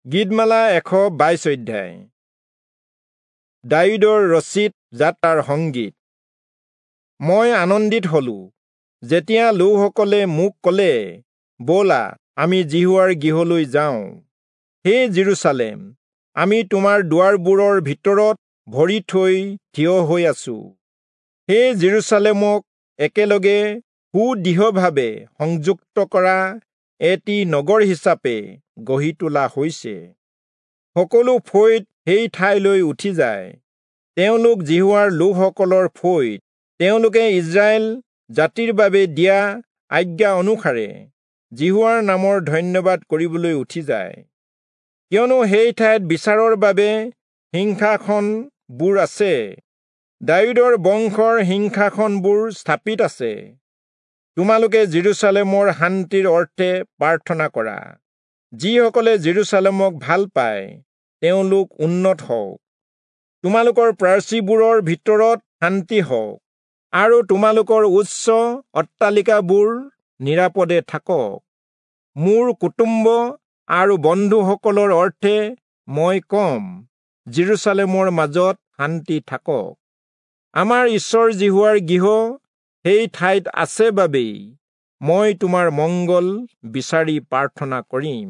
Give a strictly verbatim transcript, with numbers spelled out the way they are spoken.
গীতমালা এশ বাইশ অধ্যায়। দায়ূদৰ ৰচিত যাত্ৰাৰ সংগীত। মই আনন্দিত হলো যেতিয়া লোকসকলে মোক ক'লে, ব'লা আমি যিহোৱাৰ গৃহলৈ যাওঁ। হে যিৰূচালেম, আমি তোমাৰ দুৱাৰবোৰৰ ভিতৰত ভৰি থৈ থিয় হৈ আছো। হে যিৰূচালেমক একেলগে সুদৃঢ়ভাৱে সংযুক্ত কৰা এটি নগৰ হিচাপে গঢ়ি তোলা হৈছে। সকলো ফৈদ সেই ঠাইলৈ উঠি যায়। তেওঁলোক যিহোৱাৰ লোকসকলৰ ফৈদ। তেওঁলোকে ইস্ৰায়েল জাতিৰ বাবে দিয়া আজ্ঞা অনুসাৰে যিহোৱাৰ নামৰ ধন্যবাদ কৰিবলৈ উঠি যায়। কিয়নো সেই ঠাইত বিচাৰৰ বাবে সিংহাসনবোৰ আছে, দায়ূদৰ বংশৰ সিংহাসনবোৰ স্থাপিত আছে। তোমালোকে যিৰূচালেমৰ শান্তিৰ অৰ্থে প্ৰাৰ্থনা কৰা। যিসকলে যিৰূচালেমক ভাল পায় তেওঁলোক উন্নত হওক। তোমালোকৰ প্ৰাচীৰবোৰৰ ভিতৰত শান্তি হওক, আৰু তোমালোকৰ উচ্চ অট্টালিকাবোৰ নিৰাপদে থাকক। মোৰ কুটুম্ব আৰু বন্ধুসকলৰ অৰ্থে মই কম, যিৰূচালেমৰ মাজত শান্তি থাকক। আমাৰ ঈশ্বৰ যিহোৱাৰ গৃহ সেই ঠাইত আছে বাবেই মই তোমাৰ মংগল বিচাৰি প্ৰাৰ্থনা কৰিম।